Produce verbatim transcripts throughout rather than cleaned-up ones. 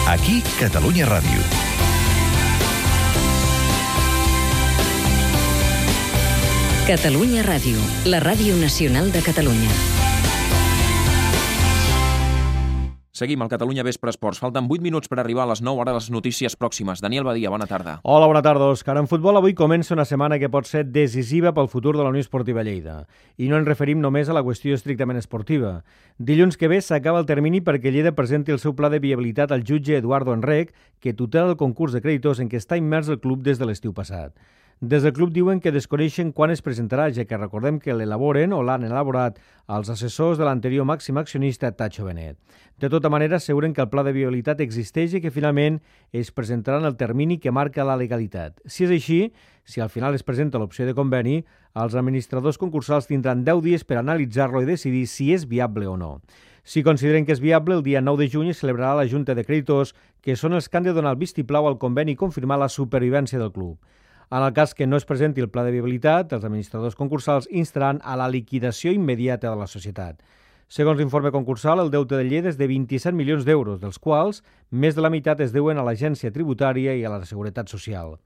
Aquí, Catalunya Ràdio. Catalunya Ràdio, la ràdio nacional de Catalunya. Seguim al Catalunya Vespre Esports. Falten vuit minuts per arribar a les nou, ara les notícies pròximes. Daniel Badia, bona tarda. Hola, bona tarda, Òscar. En futbol avui comença una setmana que pot ser decisiva pel futur de la Unió Esportiva Lleida. I no ens referim només a la qüestió estrictament esportiva. Dilluns que ve s'acaba el termini perquè Lleida presenti el seu pla de viabilitat al jutge Eduardo Enrec, que tutela el concurs de creditors en què està immers el club des de l'estiu passat. Des del club diuen que desconeixen quan es presentarà, ja que recordem que l'elaboren o l'han elaborat els assessors de l'anterior màxim accionista Tacho Benet. De tota manera, asseguren que el pla de viabilitat existeix i que finalment es presentarà en el termini que marca la legalitat. Si és així, si al final es presenta l'opció de conveni, els administradors concursals tindran deu dies per analitzar-lo i decidir si és viable o no. Si consideren que és viable, el dia nou de juny es celebrarà la Junta de Creditors, que són els que han de donar el vistiplau al conveni i confirmar la supervivència del club. En el cas que no es presenti el pla de viabilitat, els administradors concursals instaran a la liquidació immediata de la societat. Segons l'informe concursal, el deute de Lleida és de vint-i-set milions d'euros, dels quals més de la meitat es deuen a l'agència tributària i a la Seguretat Social.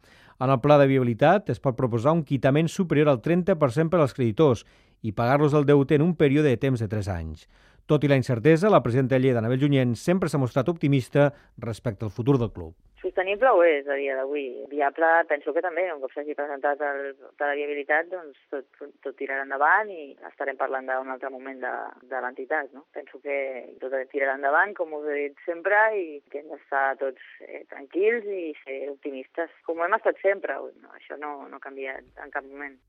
En el pla de viabilitat es pot proposar un quitament superior al trenta per cent per als creditors i pagar-los el deute en un període de temps de tres anys. Tot i la incertesa, la presidenta de Lleida, Anabel Junyent, sempre s'ha mostrat optimista respecte al futur del club. Sostenible ho és a dia d'avui. Viable penso que també, un cop s'hagi presentat el pla de viabilitat, doncs tot, tot tirarà endavant i estarem parlant d'un altre moment de, de l'entitat, no? Penso que tot tirarà endavant, com us he dit sempre, i que hem d'estar tots eh, tranquils i ser optimistes, com hem estat sempre. No, això no, no ha canviat en cap moment.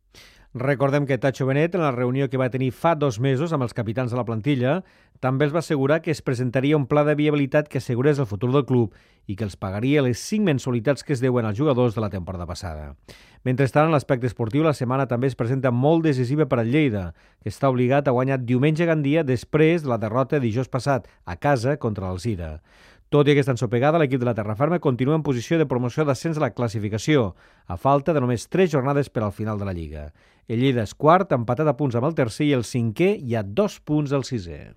Recordem que Tacho Benet, en la reunió que va tenir fa dos mesos amb els capitans de la plantilla, també els va assegurar que es presentaria un pla de viabilitat que assegurés el futur del club i que els pagaria les cinc mensualitats que es deuen als jugadors de la temporada passada. Mentrestant, en l'aspecte esportiu, la setmana també es presenta molt decisiva per al Lleida, que està obligat a guanyar diumenge a Gandia després de la derrota dijous passat a casa contra l'Alzira. Tot i aquesta ensopegada, l'equip de la Terraferma continua en posició de promoció d'ascens a la classificació, a falta de només tres jornades per al final de la Lliga. El Lleida és quart, empatat a punts amb el tercer, i el cinquè hi ha dos punts al sisè.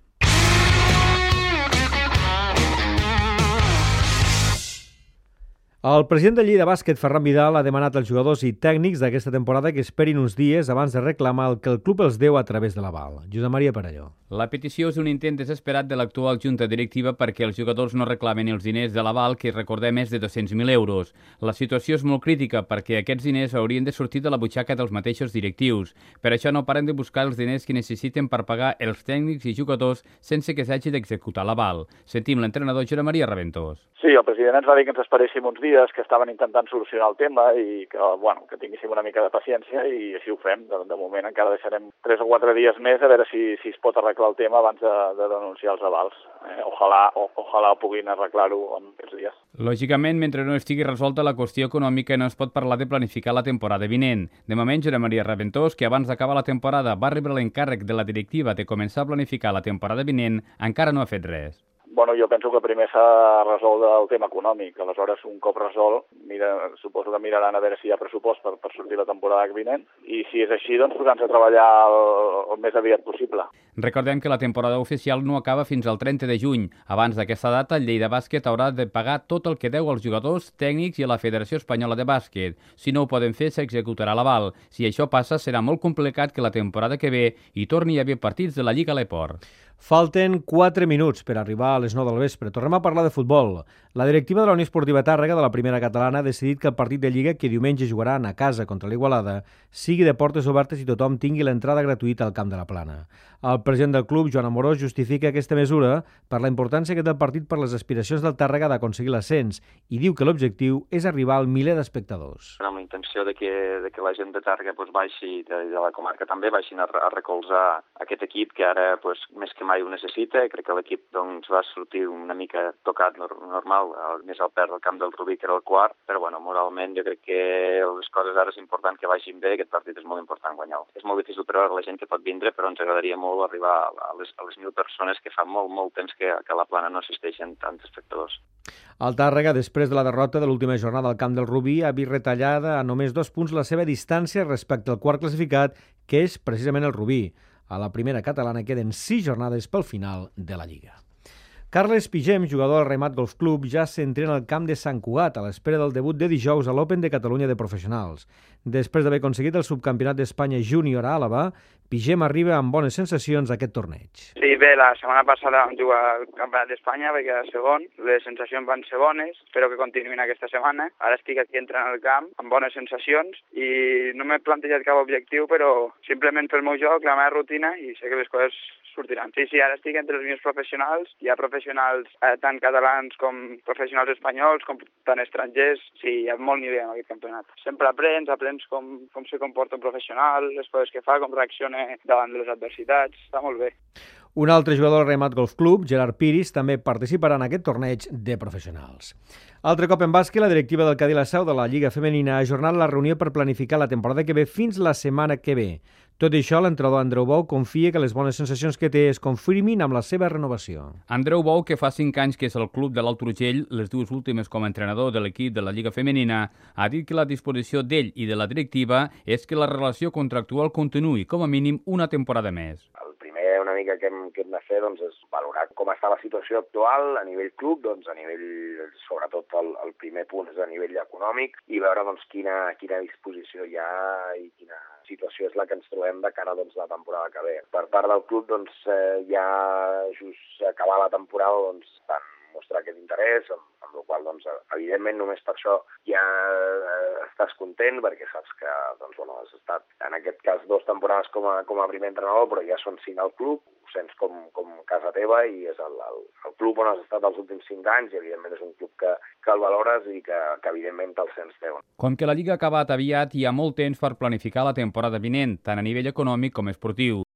El president de Lleida Bàsquet, Ferran Vidal, ha demanat als jugadors i tècnics d'aquesta temporada que esperin uns dies abans de reclamar el que el club els deu a través de l'aval. Josep Maria Perelló. La petició és un intent desesperat de l'actual junta directiva perquè els jugadors no reclamen els diners de l'aval, que recordem és de dos-cents mil euros. La situació és molt crítica perquè aquests diners haurien de sortir de la butxaca dels mateixos directius. Per això no paren de buscar els diners que necessiten per pagar els tècnics i jugadors sense que s'hagi d'executar l'aval. Sentim l'entrenador Josep Maria Raventós. Sí, el president ens va dir que ens esperéssim uns dies, que estaven intentant solucionar el tema i que, bueno, que tinguéssim una mica de paciència, i així ho fem. De, de moment encara deixarem tres o quatre dies més a veure si, si es pot arreglar el tema abans de, de denunciar els avals. Eh, ojalà, o, ojalà puguin arreglar-ho en aquests dies. Lògicament, mentre no estigui resolta la qüestió econòmica, no es pot parlar de planificar la temporada vinent. De moment, Josep Maria Raventós, que abans d'acabar la temporada va rebre l'encàrrec de la directiva de començar a planificar la temporada vinent, encara no ha fet res. Bueno, jo penso que primer s'ha resolt el tema econòmic. Aleshores, un cop resolt, mira, suposo que miraran a veure si hi ha pressupost per, per sortir la temporada vinent. I si és així, doncs posant-se a treballar el, el més aviat possible. Recordem que la temporada oficial no acaba fins al trenta de juny. Abans d'aquesta data, el Lleida Bàsquet haurà de pagar tot el que deu als jugadors, tècnics i a la Federació Espanyola de Bàsquet. Si no ho poden fer, s'executarà l'aval. Si això passa, serà molt complicat que la temporada que ve hi torni a haver partits de la Lliga Leport. Falten quatre minuts per arribar a les nou del vespre. Tornem a parlar de futbol. La directiva de la Unió Esportiva Tàrrega de la primera catalana ha decidit que el partit de Lliga, que diumenge jugaran a casa contra l'Igualada, sigui de portes obertes i tothom tingui l'entrada gratuïta al Camp de la Plana. El president del club, Joan Amorós, justifica aquesta mesura per la importància que té el partit per les aspiracions del Tàrrega d'aconseguir l'ascens i diu que l'objectiu és arribar al miler d'espectadors. Amb la intenció de que, de que la gent de Tàrrega pues, baixi, de, de la comarca també, baixin a, a recolzar aquest equip que ara pues, més que mai ho necessita. Crec que l'equip doncs, va sortir una mica tocat normal, més al perdre el camp del Rubí, que era el quart, però bueno, moralment jo crec que les coses ara és important que vagin bé, aquest partit és molt important guanyar-lo. És molt difícil per a la gent que pot vindre, però ens agradaria molt arribar a les, a les mil persones, que fa molt, molt temps que, que a la Plana no assisteixen tants espectadors. El Tàrrega, després de la derrota de l'última jornada al camp del Rubí, ha vist retallada a només dos punts la seva distància respecte al quart classificat, que és precisament el Rubí. A la primera catalana queden sis jornades pel final de la Lliga. Carles Pigem, jugador del Remat Golf Club, ja s'entrena al camp de Sant Cugat a l'espera del debut de dijous a l'Open de Catalunya de professionals. Després d'haver aconseguit el subcampionat d'Espanya júnior a Àlaba, Pigem arriba amb bones sensacions a aquest torneig. Sí, bé, la setmana passada vam jugar al Campionat d'Espanya, vaig quedar segon, les sensacions van ser bones, espero que continuïn aquesta setmana. Ara estic aquí entrant al camp amb bones sensacions i no m'he plantejat cap objectiu, però simplement pel meu joc, la meva rutina, i sé que les coses sortiran. Sí, sí, ara estic entre els meus professionals, hi ha professionals eh, tant catalans com professionals espanyols, com tant estrangers, sí, hi ha molt nivell en aquest campionat. Sempre aprens, aprens com, com se comporta un professional, les coses que fa, com reacciona davant de les adversitats, està molt bé. Un altre jugador del Remat Golf Club, Gerard Piris, també participarà en aquest torneig de professionals. Altre cop en bàsquet, la directiva del Cadí la Seu de la Lliga Femenina ha ajornat la reunió per planificar la temporada que ve fins la setmana que ve. Tot i això, l'entrenador Andreu Bou confia que les bones sensacions que té es confirmin amb la seva renovació. Andreu Bou, que fa cinc anys que és al club de l'Alt Urgell, les dues últimes com a entrenador de l'equip de la Lliga Femenina, ha dit que la disposició d'ell i de la directiva és que la relació contractual continuï com a mínim una temporada més. Una mica que hem, que hem de fer doncs, és valorar com està la situació actual a nivell club, doncs, a nivell, sobretot el, el primer punt és a nivell econòmic, i veure doncs, quina, quina disposició hi ha i quina situació és la que ens trobem de cara doncs, a la temporada que ve. Per part del club, doncs, eh, ja just acabar la temporada, doncs, van mostrar aquest interès, amb, amb la qual doncs, evidentment només per això ja eh, estàs content, perquè saps que doncs, bueno, has estat en aquest cas dues temporades com a, com a primer entrenador, però ja són cinc al club, ho sents com, com casa teva i és el, el, el club on has estat els últims cinc anys i evidentment és un club que, que el valores i que, que evidentment te'l sents teu. Com que la Lliga ha acabat aviat, hi ha molt temps per planificar la temporada vinent, tant a nivell econòmic com esportiu.